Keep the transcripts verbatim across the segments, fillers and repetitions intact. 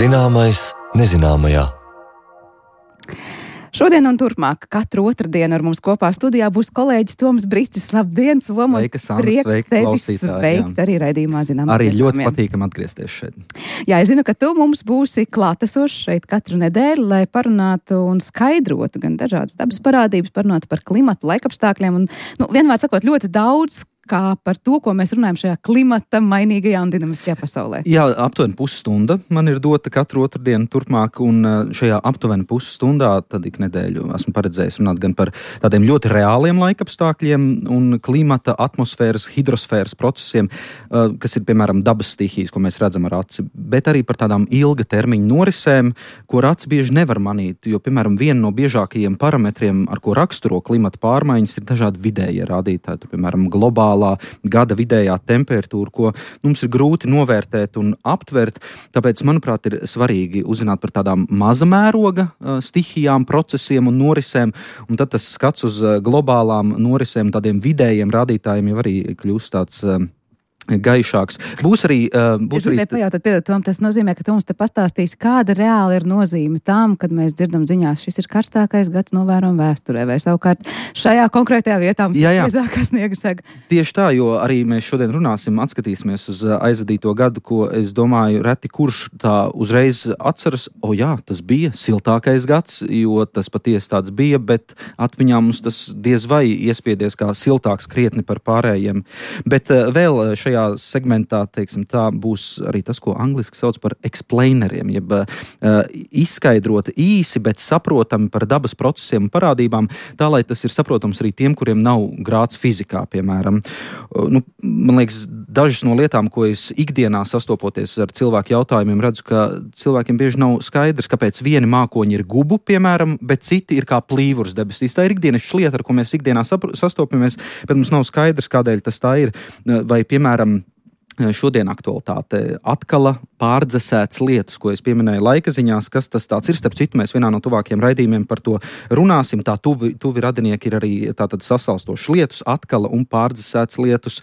Zināmais nezināmajā. Šodien un turpmāk katru otrdienu ar mums kopā studijā būs kolēģis Toms Bricis. Labdien, Tom! Sveika, Sandra! Prieks Sveika, tevi klausītāji! sveikt arī raidījumā Zināmais Arī ļoti nezināmajā. patīkam atgriezties šeit. Jā, es zinu, ka tu mums būsi klātesošs šeit katru nedēļu, lai parunātu un skaidrotu gan dažādas dabas parādības, parunātu par klimatu, laikapstākļiem un, nu, vienmēr sakot, ļoti daudz kā par to, ko mēs runājam šajā klimata mainīgajā un dinamiskajā pasaulē. Jā, aptuveni pusstunda man ir dota katru otrdienu turpmāk, un šajā aptuveni pusstundā tad ik nedēļu esmu paredzējis runāt gan par tādiem ļoti reāliem laikapstākļiem un klimata, atmosfēras, hidrosfēras procesiem, kas ir, piemēram, dabas stihijas, ko mēs redzam ar aci, bet arī par tādām ilga termiņa norisēm, ko ar aci bieži nevar manīt, jo, piemēram, viena no biežākajiem parametriem, ar ko raksturo klimata pārmaiņas, ir dažādi vidējie rādītāji, tur, piemēram, globālā gada vidējā temperatūra, ko mums ir grūti novērtēt un aptvert. Tāpēc, manuprāt, ir svarīgi uzzināt par tādām maza mēroga stihijām, procesiem un norisēm, un tad tas skats uz globālām norisēm, tādiem vidējiem rādītājiem jau arī kļūst tāds gaišāks. Būs arī... Uh, būs es gribēju arī... pajautāt, piedod, Tom, tas nozīmē, ka tu mums te pastāstīsi, kāda reāli ir nozīme tam, kad mēs dzirdam ziņās, šis ir karstākais gads novērojam vēsturē, vai savukārt šajā konkrētajā vietā mums jā, jā. ir mazākā sniega sega. Tieši tā, jo arī mēs šodien runāsim, atskatīsimies uz aizvadīto gadu, ko es domāju, reti kurš tā uzreiz atceras, o jā, tas bija siltākais gads, jo tas patiesi tāds bija, bet atmiņā mums tas diez vai iespiedies kā siltāks krietni par pārējiem. Bet uh, vēl šajā segmentā, teiksim, tā būs arī tas, ko angliski sauc par explaineriem, jeb uh, izskaidrot īsi, bet saprotami par dabas procesiem un parādībām, tā, lai tas ir saprotams arī tiem, kuriem nav grāds fizikā, piemēram. Uh, nu, man liekas, dažas no lietām, ko es ikdienā sastopoties ar cilvēku jautājumiem, redzu, ka cilvēkiem bieži nav skaidrs, kāpēc vieni mākoņi ir gubu, piemēram, bet citi ir kā plīvurs debesīs. Tā ir ikdienas lieta, ar ko mēs ikdienā sastopamies, bet mums nav skaidrs, kādēļ tas tā ir. Vai, piemēram, šodien aktualitāte atkala pārdzesēts lietus, ko es pieminēju laika ziņās, kas tas tāds ir. Starp citu, mēs vienā no tuvākiem raidījumiem par to runāsim. Tā tuvi, tuvi radinieki ir arī tātad sasalstošs lietus, atkala un pārdzesēts lietus,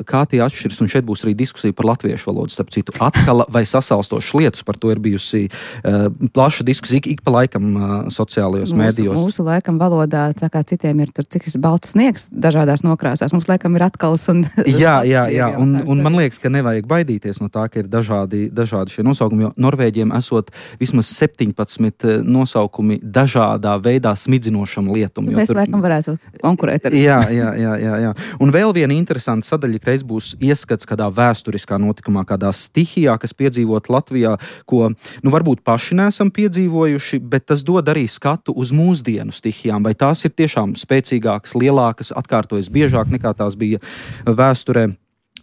kā tie atšķiras, un šeit būs arī diskusija par latviešu valodu. Starp citu, atkala vai sasalstošs lietus, par to ir bijusi uh, plaša diskusija ik, ik pa laikam uh, sociālajos mūsu, mēdījos. Mūsu laikam valodā, tā kā citiem ir tur cik balts sniegs dažādās nokrāsās, mums laikam ir atkals un... jā, jā, jā, un, un man liekas, ka nevajag baidīties no tā, ka ir dažādi, dažādi šie nosaukumi, jo Norvēģiem esot vismaz septiņpadsmit nosaukumi dažādā veidā smidzinošam lietum. Mēs tur... laikam varētu konkurēt ar... jā, jā, jā, jā, jā. Un vēl viena interesanta sadaļa, reiz būs ieskats kādā vēsturiskā notikumā, kādā stihijā, kas piedzīvot Latvijā, ko, nu, varbūt paši neesam piedzīvojuši, bet tas dod arī skatu uz mūsdienu stihijām, vai tās ir tiešām spēcīgākas, lielākas, atkārtojas biežāk nekā tās bija vēsturē.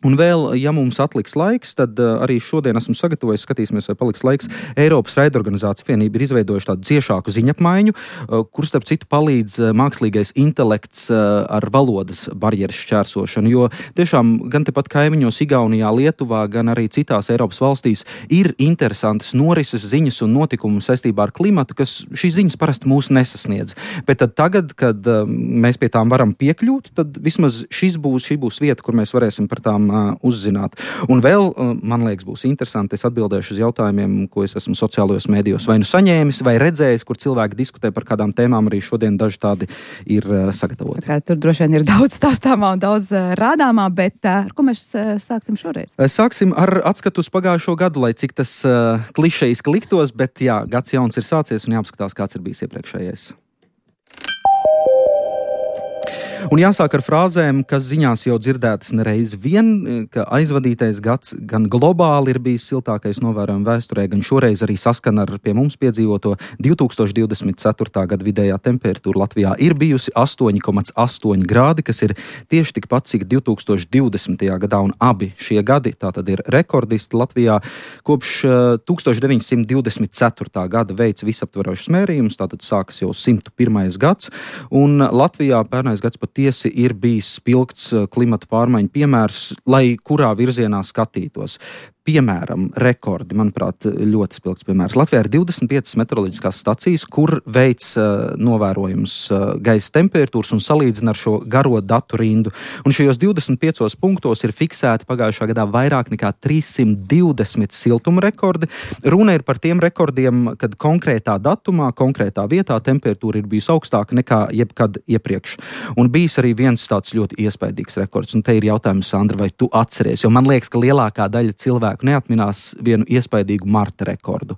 Un vēl, ja mums atliks laiks, tad uh, arī šodien esmu sagatavojis, skatīsimies, vai paliks laiks. Eiropas raidorganizācija vienība ir izveidojuši tādu ciešāku ziņapmaiņu, uh, kur starp citu palīdz uh, mākslīgais intelekts uh, ar valodas barjeras šķērsošanu, jo tiešām gan tepat kaimiņos Igaunijā, Lietuvā, gan arī citās Eiropas valstīs ir interesantas norises ziņas un notikumi saistībā ar klimatu, kas šīs ziņas parasti mūs nesasniedz. Bet tad tagad, kad uh, mēs pie tām varam piekļūt, tad vismaz šis būs, šī būs vieta, kur mēs varēsim par tām uzzināt. Un vēl, man liekas, būs interesanti, es atbildēšu uz jautājumiem, ko es esmu sociālajos mēdījos vai nu saņēmis, vai redzējis, kur cilvēki diskutē par kādām tēmām, arī šodien daži tādi ir sagatavoti. Tā kā tur droši vien ir daudz stāstāmā un daudz rādāmā, bet ar ko mēs sāksim šoreiz? Sāksim ar atskatu uz pagājušo gadu, lai cik tas uh, klišejiski liktos, bet jā, gads jauns ir sācies un jāapskatās, kāds ir bijis iepriekšējais. Un jāsāk ar frāzēm, kas ziņās jau dzirdētas nereiz vien, ka aizvadītais gads gan globāli ir bijis siltākais novērojumi vēsturē, gan šoreiz arī saskan ar pie mums piedzīvoto divi tūkstoši divdesmit ceturtā gada vidējā temperatūra Latvijā ir bijusi astoņi komats astoņi grādi, kas ir tieši tikpat, cik divi tūkstoši divdesmitajā gadā, un abi šie gadi tātad ir rekordisti Latvijā. Kopš tūkstoš deviņsimt divdesmit ceturtā gada veids visaptverošas mērījumus, tātad sākas jau simt pirmais gads, un Latvijā pērnais gads patiesi ir bijis spilgts klimata pārmaiņu piemērs, lai kurā virzienā skatītos. piemēram, rekordi, manuprāt, ļoti spilgts piemērs. Latvijā ir divdesmit piecas meteoroloģiskās stacijas, kur veic uh, novērojums uh, gaisa temperatūras un salīdzina ar šo garo datu rindu. Un šajos divdesmit piecos punktos ir fiksēti pagājušā gadā vairāk nekā trīssimt divdesmit siltuma rekordi. Runa ir par tiem rekordiem, kad konkrētā datumā, konkrētā vietā temperatūra ir bijusi augstāka nekā jebkad iepriekš. Un bijis arī viens tāds ļoti iespaidīgs rekords. Un te ir jautājums, Sandra, vai tu atceries? Jo man liekas, ka lielākā daļa cilvēku neatminās vienu iespaidīgu marta rekordu.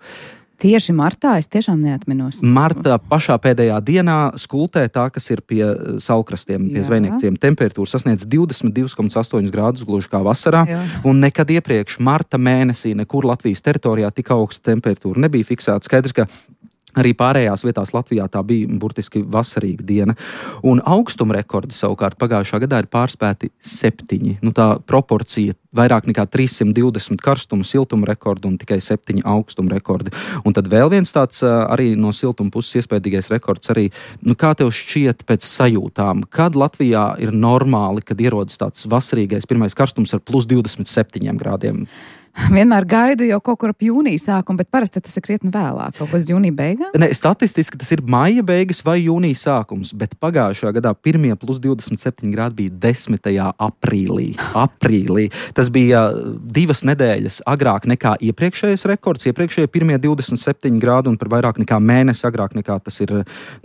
Tieši martā es tiešām neatminos. Marta pašā pēdējā dienā skultē tā, kas ir pie saulkrastiem, pie zvejniekciem. Temperatūra sasniedz divdesmit divi komats astoņi grādus, gluži kā vasarā. Jā. Un nekad iepriekš marta mēnesī nekur Latvijas teritorijā tik augsta temperatūra nebija fiksēta. Skaidrs, ka arī pārējās vietās Latvijā tā bija burtiski vasarīga diena. Un augstuma rekordi savukārt pagājušā gadā ir pārspēti septiņi. Nu, tā proporcija vairāk nekā trīssimt divdesmit karstuma, siltuma rekordi un tikai septiņi augstuma rekordi. Un tad vēl viens tāds arī no siltuma puses iespējīgais rekords arī, nu kā tev šķiet pēc sajūtām, kad Latvijā ir normāli, kad ierodas tāds vasarīgais pirmais karstums ar plus divdesmit septiņiem grādiem? Vienmēr gaidu jau kaut kur ap jūnija sākumu, bet parasti tas ir krietni vēlāk, kaut kas jūnija beigām? Ne, statistiski tas ir maija beigas vai jūnija sākums, bet pagājušajā gadā pirmie plus divdesmit septiņi grādi bija desmitajā aprīlī. Aprīlī. Tas bija divas nedēļas agrāk nekā iepriekšējais rekords, iepriekšējie pirmie divdesmit septiņi grādi un par vairāk nekā mēnesi agrāk nekā tas ir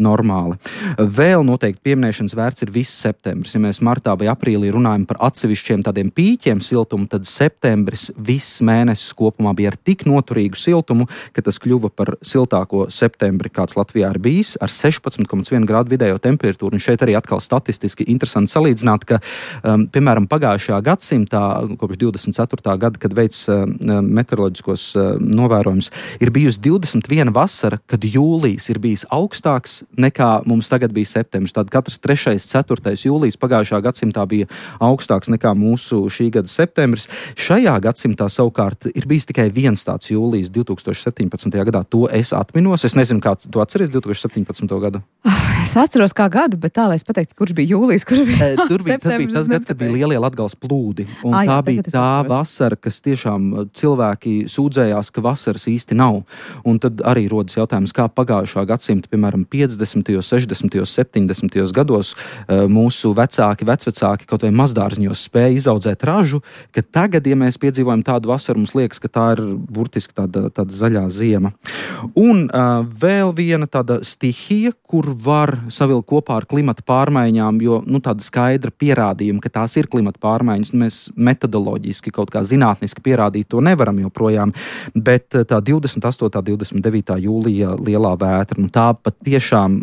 normāli. Vēl noteikti pieminēšanas vērts ir viss septembris. Ja mēs martā vai aprīlī runājam par atsevišķiem tādiem pīķiem siltumu, tad septembris viss mēnesis kopumā bija ar tik noturīgu siltumu, ka tas kļuva par siltāko septembri, kāds Latvijā ir bijis, ar sešpadsmit komats vienu grādu vidējo temperatūru. Un šeit arī atkal statistiski interesanti salīdzināt, ka, um, piemēram, pagājušajā gadsimtā, kopš divdesmit ceturtā gada, kad veic uh, meteoroloģiskos uh, novērojumus, ir bijusi divdesmit viena vasara, kad jūlijas ir bijis augstāks nekā mums tagad bija septembris. Tad katrs trešais, ceturtais jūlijas pagājušajā gadsimtā bija augstāks nekā mūsu šī gada septembris. Šajā gadsimtā savukārt ir bijis tikai viens tāds jūlijas divi tūkstoši septiņpadsmitajā gadā. To es atminos. Es nezinu, kā tu atceries divi tūkstoši septiņpadsmito gadu. Es atceros kā gadu, bet tā, lai es pateiktu, kurš bija jūlijas, kurš bija e, tur bija, tas bija tas gads, kad bija lielie Latgales plūdi. Un ah, tā jā, bija tā vasara, kas tiešām cilvēki sūdzējās, ka vasaras īsti nav. Un tad arī rodas jautājums, kā pagājušā gadsimta, piemēram, piecdesmitajos, sešdesmitajos, septiņdesmitajos gados mūsu vecāki, vecvecāki kaut vai mazdārziņos spēja izaudzēt ražu, ka tagad, ja mēs piedzīvojam tādu vasaru, mums liekas, ka tā ir burtiski tāda, tāda zaļā ziema. Un uh, vēl viena tāda stihija, kur var savilkt kopā ar klimata pārmaiņām, jo nu, tāda skaidra pierādījuma, ka tās ir klimata pārmaiņas, mēs metodoloģiski kaut kā zinātniski pierādīt to nevaram joprojām, bet tā divdesmit astotā, divdesmit devītā jūlija lielā vētra, nu, tā pat tiešām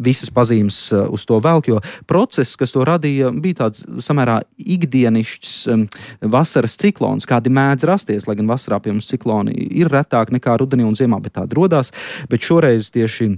visas pazīmes uz to velk, jo process, kas to radīja, bija tāds samērā ikdienišķs um, vasaras ciklons, kādi mēdz rasties, lai gan vasarā pie mums cikloni ir retāk nekā rudenī un ziemā, bet tādi rodās, bet šoreiz tieši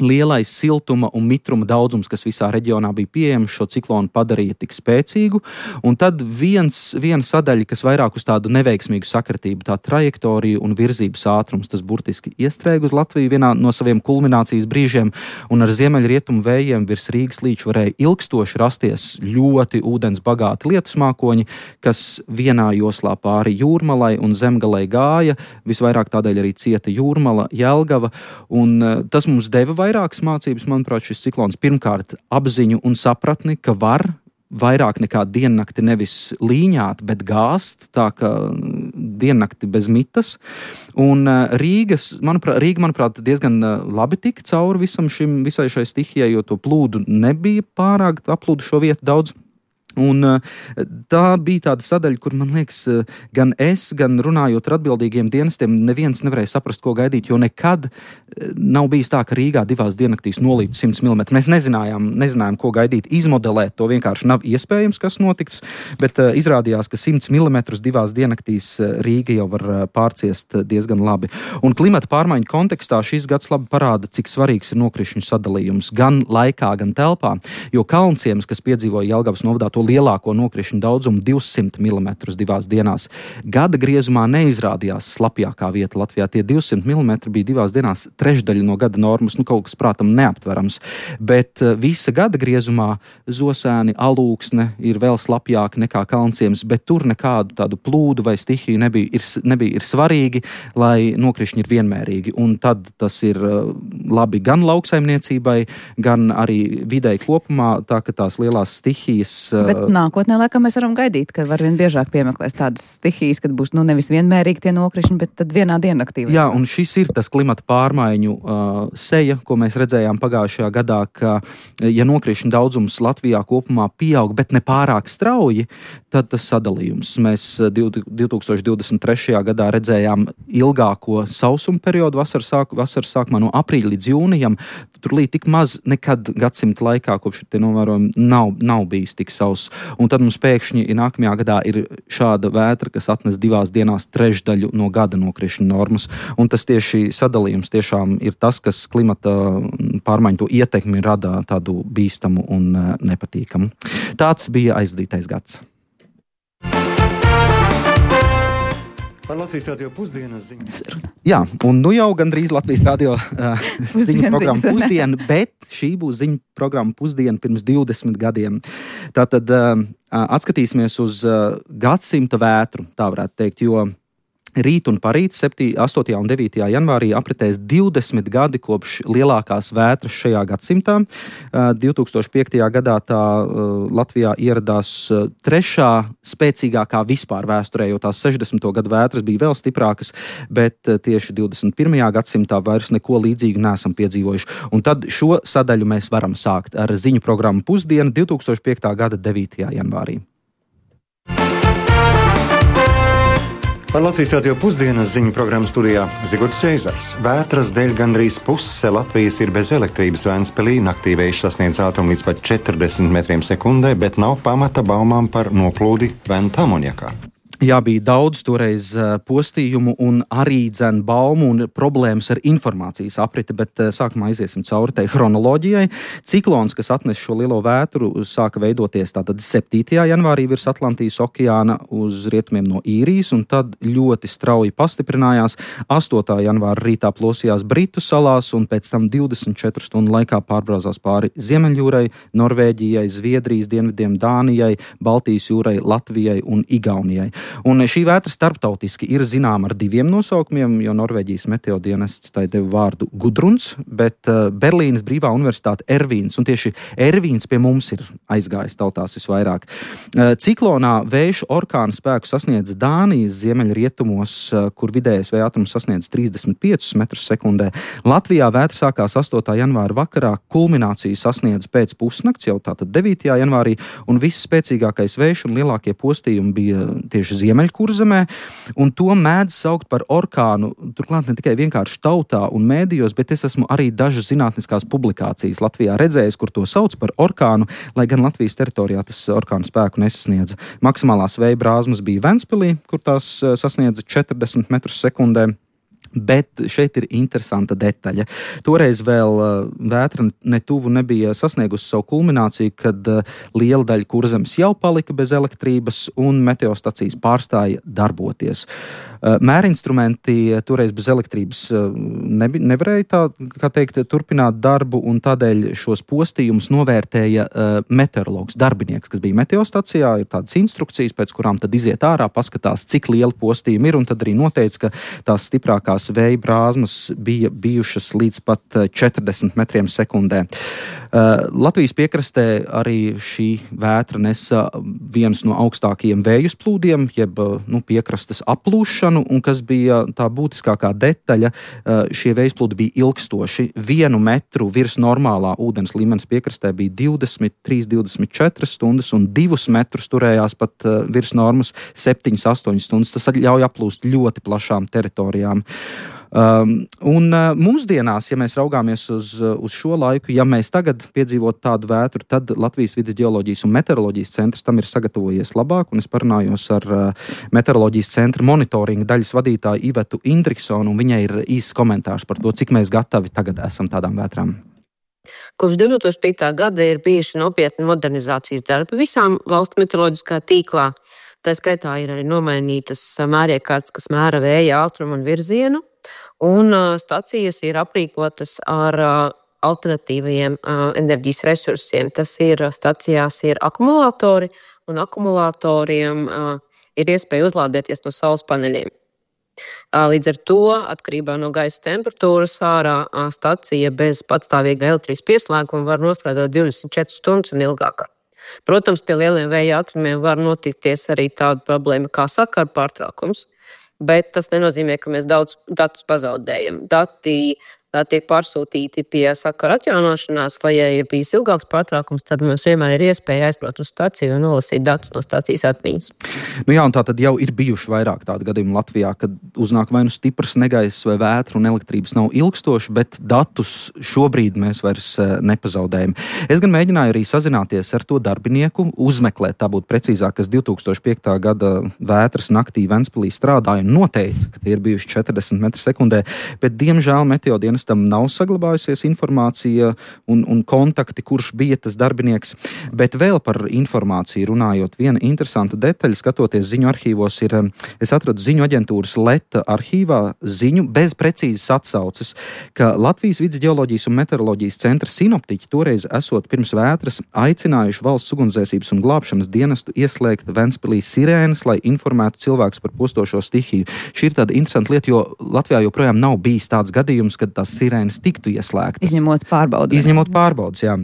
lielais siltuma un mitruma daudzums, kas visā reģionā bija pieejams, šo ciklonu padarīja tik spēcīgu, un tad viens, viena sadaļa, kas vairāk uz tādu neveiksmīgu sakritību, tā trajektorija un virzības ātrums, tas burtiski iestrēga uz Latviju vienā no saviem kulminācijas brīžiem, un ar ziemeļrietumu vējiem virs Rīgas līča varēja ilgstoši rasties ļoti ūdens bagāti lietusmākoņi, kas vienā joslā pāri Jūrmalai un Zemgalei gāja, visvairāk tādēļ arī cieta Jūrmala, Jelgava, un tas mums deva vairākas mācības, manuprāt, šis ciklons pirmkārt apziņu un sapratni, ka var vairāk nekā diennakti nevis līņāt, bet gāzt, tā ka diennakti bez mitas. Un Rīgas, manuprāt, Rīga, manuprāt, diezgan labi tika cauri visam šim, visai šai stihijai, jo to plūdu nebija pārāk, aplūdu šo vietu daudz. Un tā bija tāda sadaļa, kur, man liekas, gan es, gan runājot ar atbildīgiem dienestiem, neviens nevarēja saprast, ko gaidīt, jo nekad nav bijis tā, ka Rīgā divās diennaktīs nolīd simts milimetru. Mēs nezinājām, nezinājām, ko gaidīt, izmodelēt to vienkārši nav iespējams, kas notiks, bet uh, izrādījās, ka simts milimetrus divās diennaktīs Rīga jau var pārciest diezgan labi. Un klimata pārmaiņu kontekstā šis gads labi parāda, cik svarīgs ir nokrišņu sadalījums gan laikā, gan telpā, jo Kalnciems, kas piedzīvoja Jelgavas novadā to to lielāko nokrišņu daudzumu divsimt milimetrus divās dienās. Gada griezumā neizrādījās slapjākā vieta Latvijā. Tie divsimt milimetri bija divās dienās trešdaļa no gada normas, nu kaut kas prātam neaptverams. Bet visa gada griezumā Zosēni, Alūksne ir vēl slapjāki nekā Kalnciems, bet tur nekādu tādu plūdu vai stihiju nebija. Ir, nebija. Ir svarīgi, lai nokrišņi ir vienmērīgi, un tad tas ir labi gan lauksaimniecībai, gan arī videi kopumā, tā ka tās lielās stihijas... Bet nākotnē, laikam, mēs varam gaidīt, ka var vien biežāk piemeklēs tādas stihijas, kad būs, nu, nevis vienmērīgi tie nokrišņi, bet tad vienā diennaktī. Jā, un šis ir tas klimata pārmaiņu uh, seja, ko mēs redzējām pagājušajā gadā, ka, ja nokrišņu daudzums Latvijā kopumā pieaug, bet ne pārāk strauji, tad tas sadalījums. Mēs divi tūkstoši divdesmit trešajā gadā redzējām ilgāko sausuma periodu vasaras, sāk, vasaras sākumā no aprīļa līdz jūnijam. Tur līdz tik maz nekad gadsimta laikā, kopš tie novērojumi, nav, nav bijis tik sauss. Un tad mums pēkšņi nākamajā gadā ir šāda vētra, kas atnes divās dienās trešdaļu no gada nokrišņu normas. Un tas tieši sadalījums tiešām ir tas, kas klimata pārmaiņu to ietekmi rada tādu bīstamu un nepatīkamu. Tāds bija aizvadītais gads. Par Latvijas radio pusdienas ziņu. Jā, un nu jau gandrīz Latvijas radio uh, ziņu programma pusdiena, bet šī būs ziņu programma pusdiena pirms divdesmit gadiem. Tātad uh, atskatīsimies uz uh, gadsimta vētru, tā varētu teikt, jo rīt un parīt astotajā un devītajā janvārī apritēs divdesmit gadi kopš lielākās vētras šajā gadsimtā. divi tūkstoši piektajā gadā tā Latvijā ieradās trešā spēcīgākā vispār vēsturē, jo tās sešdesmito gadu vētras bija vēl stiprākas, bet tieši divdesmit pirmajā gadsimtā vairs neko līdzīgu neesam piedzīvojuši. Un tad šo sadaļu mēs varam sākt ar ziņu programmu pusdienu divi tūkstoši piektā gada devītajā janvārī. Par Latvijas radio pusdienas ziņu programmu studijā Zigorts Ceizars. Vētras dēļ gandrīz puse Latvijas ir bez elektrības. Ventspilī naktī vējš sasniedz ātrumu līdz pat četrdesmit metriem sekundē, bet nav pamata baumām par noplūdi Venta amonjakā. Jā, bija daudz toreiz postījumu un arī dzen baumu un problēmas ar informācijas apriti, bet sākumā aiziesim cauri tai chronoloģijai. Ciklons, kas atnes šo lielo vētru, sāka veidoties tātad septītajā janvārī virs Atlantijas okeāna uz rietumiem no Īrijas, un tad ļoti strauji pastiprinājās. astotā janvāra rītā plosījās Britu salās, un pēc tam divdesmit četru stundu laikā pārbraucās pāri Ziemeļjūrai, Norvēģijai, Zviedrijas dienvidiem, Dānijai, Baltijas jūrai, Latvijai un Igaunijai. Un šī vētra starptautiski ir zināma ar diviem nosaukumiem, jo Norvēģijas meteodienests tai deva vārdu Gudruns, bet Berlīnas Brīvā universitāte Ervīns, un tieši Ervīns pie mums ir aizgājis tautās visvairāk. Ciklonā vējš orkāna spēku sasniedz Dānijas ziemeļrietumos, kur vidējais vēja ātrums sasniedz trīsdesmit piecus metrus sekundē. Latvijā vētra sākās astotā janvāra vakarā, kulmināciju sasniedz pēc pusnakts, jau tātad devītajā janvārī, un viss spēcīgākais vējš un lielākie postījumi bija tieši Ziemeļkurzemē, un to mēdz saukt par orkānu, turklāt ne tikai vienkārši tautā un mēdījos, bet es esmu arī dažas zinātniskās publikācijas Latvijā redzējis, kur to sauc par orkānu, lai gan Latvijas teritorijā tas orkānu spēku nesasniedza. Maksimālās vēja brāzmas bija Ventspilī, kur tās sasniedza četrdesmit metrus sekundē. Bet šeit ir interesanta detaļa. Toreiz vēl vētra netuvu nebija sasniegusi savu kulmināciju, kad liela daļa Kurzemes jau palika bez elektrības un meteostacijas pārstāja darboties. Mērinstrumenti toreiz bez elektrības nebi, nevarēja tā, kā teikt, turpināt darbu, un tādēļ šos postījumus novērtēja meteorologs, darbinieks, kas bija meteostacijā. Ir tādas instrukcijas, pēc kurām tad iziet ārā, paskatās, cik liela postījuma ir, un tad arī noteica, ka tās stiprākās vēja brāzmas bija bijušas līdz pat četrdesmit metriem sekundē. Latvijas piekrastē arī šī vētra nesa viens no augstākajiem vējas plūdiem, jeb nu, piekrastes aplūšanu, un kas bija tā būtiskākā detaļa, šie vējas plūdi bija ilgstoši. Vienu metru virs normālā ūdens līmenis piekrastē bija divdesmit trīs, divdesmit četras stundas, un divus metrus turējās pat virs normas septiņas, astoņas stundas. Tas ļauj aplūst ļoti plašām teritorijām. Um, un uh, mūsdienās, ja mēs raugāmies uz, uz šo laiku, ja mēs tagad piedzīvot tādu vētru, tad Latvijas vides ģeoloģijas un meteoroloģijas centrs tam ir sagatavojies labāk, un es parunājos ar uh, meteoroloģijas centra monitoringa daļas vadītāju Ivetu Indriksonu, un viņai ir īsts komentārs par to, cik mēs gatavi tagad esam tādām vētrām. Kopš divtūkstoš piektā gada ir bijuši nopietni modernizācijas darbi visām valsts meteoroloģiskā tīklā. Tā skaitā ir arī nomainītas mēriekārtas, kas mēra vēja ātrumu un virzienu, un stacijas ir aprīkotas ar alternatīvajiem enerģijas resursiem. Tas ir stacijās ir akumulātori, un akumulātoriem ir iespēja uzlādēties no saules paneļiem. Līdz ar to, atkarībā no gaisa temperatūras ārā, stacija bez patstāvīga elektrības pieslēguma var nostrādāt divdesmit četras stundas un ilgāk. Protams, pie lieliem vēja ātrumiem var notikties arī tāda problēma kā sakaru pārtraukums, bet tas nenozīmē, ka mēs daudz datus pazaudējam. Dati tā tiek pārsūtīti pie sakara atjaunošanās, vai ja ir bijis ilgāks pārtraukums, tad mums vienmēr ir iespēja aizbraukt uz staciju un nolasīt datus no stacijas atmiņas. Nu jā, un tā tad jau ir bijuši vairāk tādu gadījumu Latvijā, kad uznāk vai nu stiprs negaiss vai vētra un elektrības nav ilgstoši, bet datus šobrīd mēs vairs nepazaudējam. Es gan mēģināju arī sazināties ar to darbinieku, uzmeklēt, tā būtu precīzāk, kas divtūkstoš piektā gada vētras naktī Ventspilī strādāja un noteica, ka tie ir bijuši četrdesmit metri sekundē, bet diemžēl meteodienas tam nav saglabājusies informācija un, un kontakti, kurš bija tas darbinieks. Bet vēl par informāciju runājot, viena interesanta detaļa, skatoties ziņu arhīvos, ir, es atradu ziņu aģentūras Leta arhīvā ziņu bez precīzas atsauces, ka Latvijas vides ģeoloģijas un meteoroloģijas centra sinoptiķi toreiz esot pirms vētras aicinājuši valsts ugunsdzēsības un glābšanas dienestu ieslēgt Ventspilī sirēnas, lai informētu cilvēkus par postošo stihiju. Šī ir tāda interesanta lieta, jo Latvijā joprojām nav bijis tāds gadījums, kad tās sirēnas tiktu ieslēgtas. Izņemot pārbaudas. Izņemot pārbaudas, jā.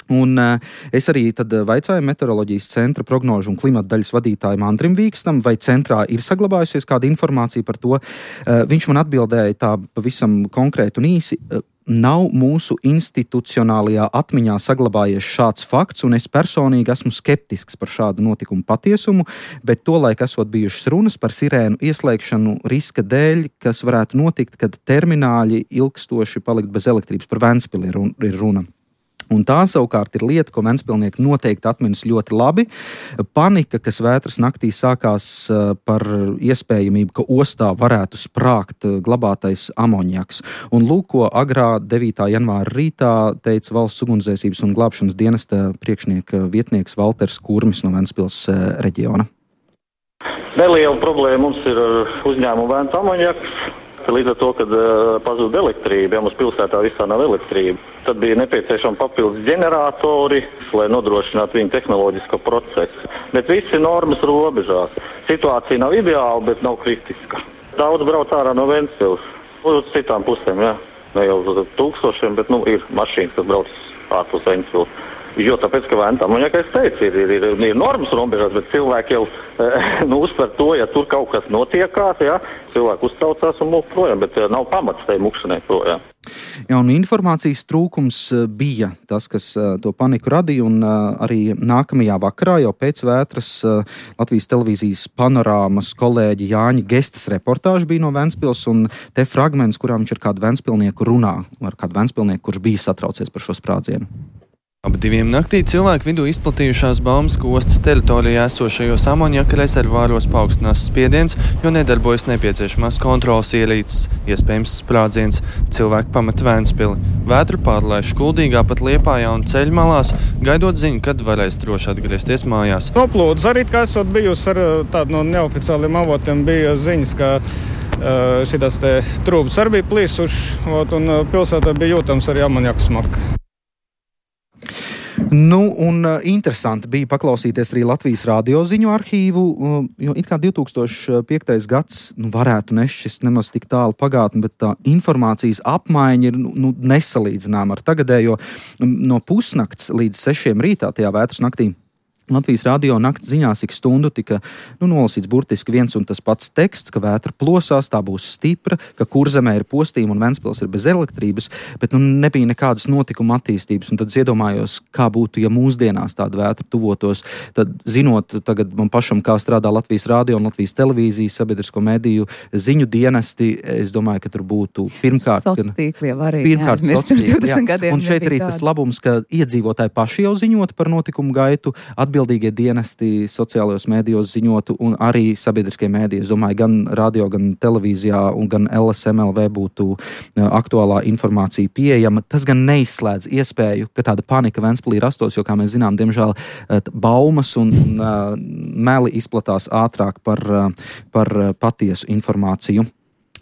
Un uh, es arī tad vaicāju meteoroloģijas centra prognožu un klimata daļas vadītājam Andrim Vīkstam, vai centrā ir saglabājusies kāda informācija par to. Uh, viņš man atbildēja tā pavisam konkrēti un īsi. Uh, Nav mūsu institucionālajā atmiņā saglabājies šāds fakts, un es personīgi esmu skeptisks par šādu notikumu patiesumu, bet tolaik esot bijušas runas par sirēnu ieslēgšanu riska dēļ, kas varētu notikt, kad termināļi ilgstoši palikt bez elektrības. Par Ventspili ir runa. Un tā savukārt ir lieta, ko ventspilnieki noteikti atminas ļoti labi. Panika, kas vētras naktī sākās par iespējamību, ka ostā varētu sprāgt glabātais amoniaks. Un lūk, ko agrā devītā janvāra rītā teica valsts ugunsdzēsības un glābšanas dienesta priekšnieka vietnieks Valters Kurmis no Ventspils reģiona. Neliela problēma mums ir uzņēmuma vēns amoniaks. Līdz ar to, kad uh, pazūd elektrība, ja mums pilsētā visā nav elektrība, tad bija nepieciešami papildus ģeneratori, lai nodrošinātu viņu tehnoloģisko procesu. Bet visi normas robežās. Situācija nav ideāla, bet nav kritiska. Daudz brauc ārā no Ventspils, uz citām pusēm, jā. Ne jau uz tūkstošiem, bet nu, ir mašīnas, kas brauc ārpus Ventspils. Jo tāpēc, ka vēntām, un ja kā es teicu, ir, ir, ir, ir normas robežās, bet cilvēki jau nu, uztver to, ja tur kaut kas notiekās, ja, cilvēki uztraucās un mūk projām, bet nav pamats tai mukšanai projām. Jā, un informācijas trūkums bija tas, kas to paniku radīja, un arī nākamajā vakarā jau pēc vētras Latvijas televīzijas panorāmas kolēģi Jāņa Gestas reportāža bija no Ventspils, un te fragments, kurā viņš ar kādu ventspilnieku runā, ar kādu ventspilnieku, kurš bija satraucies par šo sprādzienu. Ap diviem naktī cilvēku vidū izplatījušās baumas, ka ostas teritorijā esošajos amoniaka rezervāros paaugstinās spiediens, jo nedarbojas nepieciešamās kontrolas ierīces, iespējams sprādziens. Cilvēki pamet Ventspili. Vētru pārlaiž Kuldīgā, pat Liepājā un ceļmalās, gaidot ziņu, kad varēs droši atgriezties mājās. Noplūdes arī, kā esot bijusi ar tādu no neoficiāliem avotiem, bija ziņas, ka šitās te trūbas arī bija plīsuši, un pilsētā bija jūtams arī amoniaka smaka. Nu, un uh, interesanti bija paklausīties arī Latvijas radio ziņu arhīvu, uh, jo it kā divtūkstoš piektais gads nu, varētu nešķist nemaz tik tālu pagātni, bet tā informācijas apmaiņa ir nu, nesalīdzināma ar tagadējo. No pusnakts līdz sešiem rītā tajā vētras naktī Latvijas radio nakts ziņās ik stundu tika nu, nolasīts burtiski viens un tas pats teksts, ka vētra plosās, tā būs stipra, ka Kurzemē ir postījuma un Ventspils ir bez elektrības, bet nu, nebija nekādas notikuma attīstības. Un tad es iedomājos, kā būtu, ja mūsdienās tāda vētra tuvotos. Tad, zinot tagad man pašam, kā strādā Latvijas radio un Latvijas televīzijas sabiedrisko mediju ziņu dienesti, es domāju, ka tur būtu pirmkārt... Sociātīkli jau arī neaizmirst pirms divdesmit gadiem. Un šeit arī tas labums, ka iedzīvotāji paši jau ziņot par notikumu gaitu, atbildēt atbildīgie dienesti sociālajos mēdījos ziņotu un arī sabiedriskie mēdīji. Es domāju, gan radio, gan televīzijā un gan L S M L V būtu aktuālā informācija pieejama. Tas gan neizslēdz iespēju, ka tāda panika Ventspilī rastos, jo, kā mēs zinām, diemžēl baumas un uh, meli izplatās ātrāk par, uh, par patiesu informāciju.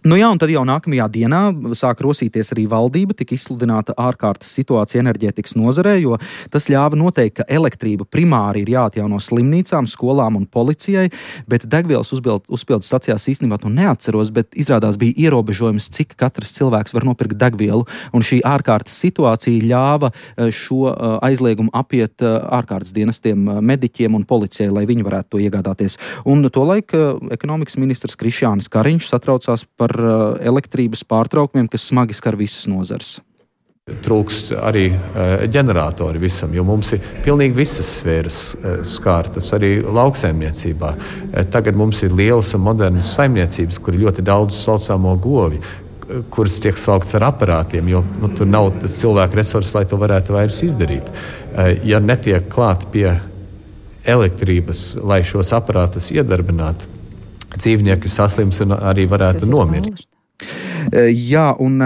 Nu jā, un tad jau nākamajā dienā sāk rosīties arī valdība, tika izsludināta ārkārtas situācija enerģētikas nozarē, jo tas ļāva noteikt, ka elektrība primāri ir jāatjauno slimnīcām, skolām un policijai, bet degvielas uzpildes stacijās īstenībā to neatceros, bet izrādās bija ierobežojums, cik katrs cilvēks var nopirkt degvielu, un šī ārkārtas situācija ļāva šo aizliegumu apiet ārkārtas dienestiem, mediķiem un policijai, lai viņi varētu to iegādāties. Un tolaik ekonomikas ministrs Krišjānis Kariņš satraucās par elektrības pārtraukumiem, kas smagi skar visas nozares. Trūkst arī ģeneratori visam, jo mums ir pilnīgi visas sfēras skārtas, arī lauksaimniecībā. Tagad mums ir lielas un modernas saimniecības, kur ir ļoti daudz saucamo govi, kuras tiek saukts ar aparātiem, jo nu, tur nav tas cilvēku resurss, lai to varētu vairs izdarīt. Ja netiek klāt pie elektrības, lai šos aparātus iedarbinātu, dzīvnieki saslims un arī varētu nomirt. Jā, un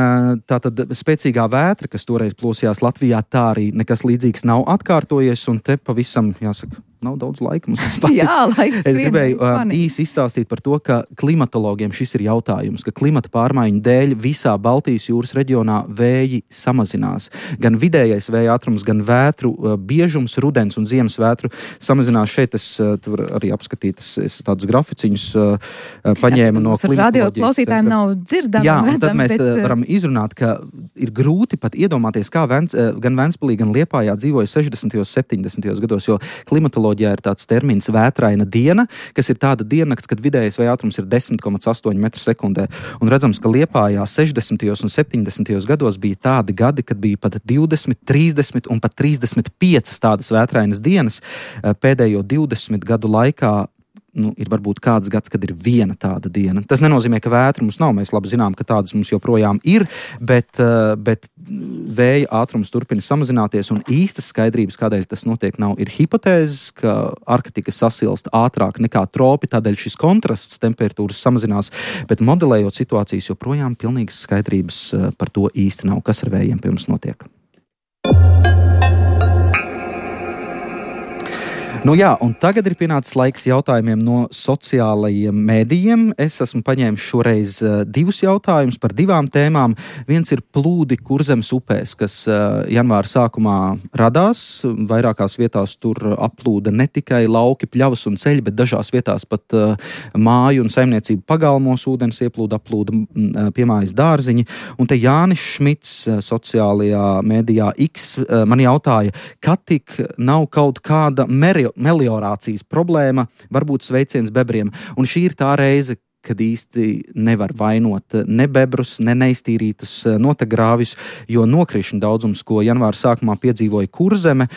tā tad spēcīgā vētra, kas toreiz plosījās Latvijā, tā arī nekas līdzīgs nav atkārtojies, un te pavisam, jāsaka, nav daudz laika mums palicis. Jā, laiks es gribēju uh, īsi izstāstīt par to, ka klimatologiem šis ir jautājums, ka klimata pārmaiņu dēļ visā Baltijas jūras reģionā vēji samazinās. Gan vidējais vēja ātrums, gan vētru uh, biežums, rudens un ziemas vētru samazinās. Šeit es uh, tur arī apskatīt, es, es tādus graficiņus uh, paņēmu no klimatoloģijas. Radio klausītājiem nav dzirdami. Jā, un redzam, tad mēs bet... varam izrunāt, ka ir grūti pat iedomāties, kā Vents, gan Ventspilī, gan Liepājā dzīvoja sešdesmitajos, septiņdesmitajos gados, jo klimatoloģija ir tāds termins vētraina diena, kas ir tāda diennakts, kad vidējais vēja ātrums ir desmit komats astoņi metri sekundē. Un redzams, ka Liepājā sešdesmitajos un septiņdesmitajos gados bija tādi gadi, kad bija pat divdesmit, trīsdesmit un pat trīsdesmit piecas tādas vētrainas dienas. Pēdējo divdesmit gadu laikā nu, ir varbūt kāds gads, kad ir viena tāda diena. Tas nenozīmē, ka vētra mums nav. Mēs labi zinām, ka tādas mums joprojām ir, bet, bet vēja ātrums turpina samazināties, un īstas skaidrības, kādēļ tas notiek, nav. Ir hipotēzes, ka Arktika sasilst ātrāk nekā tropi, tādēļ šis kontrasts temperatūras samazinās, bet modelējot situācijas joprojām pilnīgas skaidrības par to īsti nav, kas ar vējiem pie mums notiek. Nu jā, un tagad ir pienācis laiks jautājumiem no sociālajiem mēdījiem. Es esmu paņēmis šoreiz uh, divus jautājumus par divām tēmām. Viens ir plūdi Kurzemes upēs, kas uh, janvāra sākumā radās. Vairākās vietās tur aplūda ne tikai lauki, pļavas un ceļi, bet dažās vietās pat uh, māju un saimniecību pagalmos ūdens ieplūda, aplūda uh, piemājas dārziņi. Un te Jānis Šmits uh, sociālajā mēdījā X uh, man jautāja, ka tik nav kaut kāda meri meliorācijas problēma, varbūt sveiciens bebriem. Un šī ir tā reize, kad īsti nevar vainot ne bebrus, ne neiztīrītus notegrāvis, jo nokrišņu daudzums, ko janvāra sākumā piedzīvoja Kurzeme,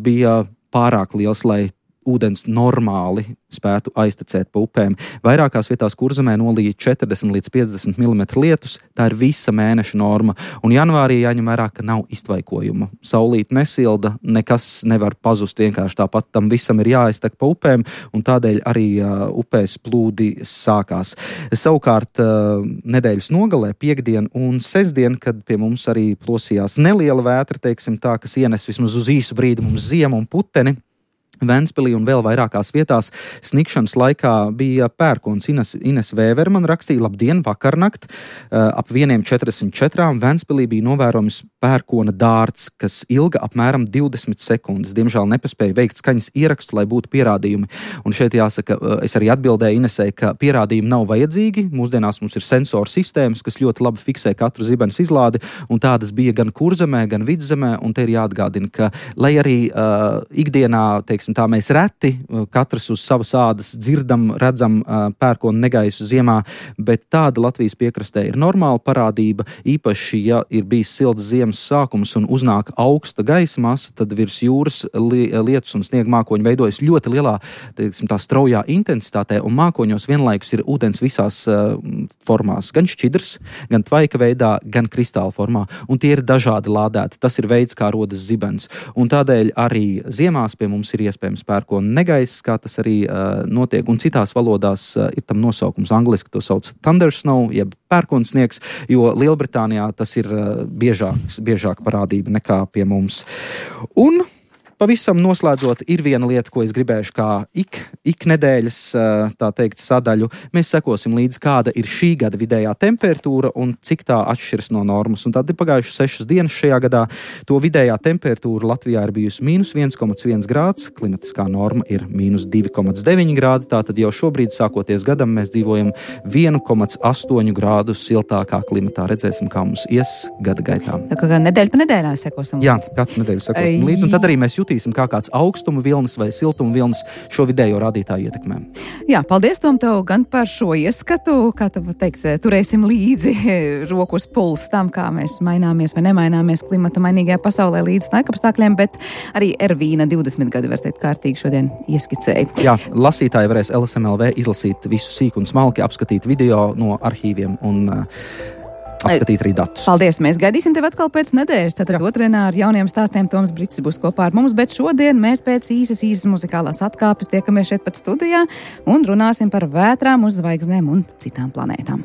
bija pārāk liels, lai ūdens normāli spētu aiztecēt pa upēm. Vairākās vietās Kurzemē nolīja četrdesmit līdz piecdesmit milimetri lietus, tā ir visa mēneša norma, un janvārī jāņem vērā, ka nav iztvaikojuma. Saulīt nesilda, nekas nevar pazust vienkārši tāpat, tam visam ir jāaiztek pa upēm, un tādēļ arī uh, upēs plūdi sākās. Savukārt uh, nedēļas nogalē, piekdien un sestdien, kad pie mums arī plosījās neliela vētra, teiksim tā, kas ienes vismaz uz īsu brīdi mums ziemu un puteni, Ventspilī un vēl vairākās vietās snikšanas laikā bija pērkons. Ines, Ines Vēver man rakstīja, labdien, vakarnakt, ap vieniem četrdesmit četrām Ventspilī bija novērojams pērkona dārts, kas ilga apmēram divdesmit sekundes. Diemžēl nepaspēja veikt skaņas ierakstu, lai būtu pierādījumi. Un šeit jāsaka, es arī atbildēju Inesei, ka pierādījumi nav vajadzīgi. Mūsdienās mums ir sensoru sistēmas, kas ļoti labi fiksē katru zibenes izlādi, un tādas bija gan Kurzemē, gan Vidzemē, un te ir jāatgādina, ka, lai arī uh, ikdienā, teiks, tā mēs reti, katrs uz savas ādas dzirdam, redzam pērkonu negaisu ziemā, bet tāda Latvijas piekrastē ir normāla parādība. Īpaši, ja ir bijis silts ziemas sākums un uznāk augsta gaisa masa, tad virs jūras li- lietus un sniega mākoņi veidojas ļoti lielā, teiksim, tā straujā intensitātē, un mākoņos vienlaikus ir ūdens visās uh, formās, gan šķidrs, gan tvaika veidā, gan kristāla formā, un tie ir dažādi lādēti. Tas ir veids, kā rodas zibens. Un tādēļ arī ziemās pie mums ir iespējams iespējams pērkona negaiss, kā tas arī uh, notiek, un citās valodās uh, ir tam nosaukums angliski, to sauc thundersnow, jeb pērkonsniegs, jo Lielbritānijā tas ir uh, biežāks, biežāk parādība nekā pie mums. Un pavisam noslēdzot, ir viena lieta, ko es gribēšu kā ik, ik nedēļas, tā teikt, sadaļu. Mēs sekosim līdz, kāda ir šī gada vidējā temperatūra un cik tā atšķiras no normas. Un tad ir pagājušas sešas dienas šajā gadā. To vidējā temperatūra Latvijā ir bijusi mīnus viens komats viens grāds, klimatiskā norma ir mīnus divi komats deviņi grādi, tātad jau šobrīd, sākoties gadam, mēs dzīvojam viens komats astoņi grādu siltākā klimatā. Redzēsim, kā mums ies gada gaitā. Tā kā nedēļa pa nedēļā sekosim līdz. Jā, katru nedēļu sekosim līdz, un tad arī mēs jutīsim, kā kāds augstuma vilnis vai siltuma vilnis šo vidējo rādītāju ietekmē. Jā, paldies, Tom, tev gan par šo ieskatu, kā tu teikt, turēsim līdzi roku uz pulsu tam, kā mēs maināmies vai nemaināmies klimata mainīgajā pasaulē līdz laikapstākļiem, bet arī Ervīna divdesmit gadi, var teikt, kārtīgi šodien ieskicēja. Jā, lasītāji varēs L S M L V izlasīt visu sīku un smalki, apskatīt video no arhīviem un apskatīt arī datus. Paldies, mēs gaidīsim tevi atkal pēc nedēļas, tātad otrdienā ar jauniem stāstiem Toms Brits būs kopā ar mums, bet šodien mēs pēc īsas, īsas muzikālās atkāpes tiekamies šeit pat studijā un runāsim par vētrām uz zvaigznēm un citām planētām.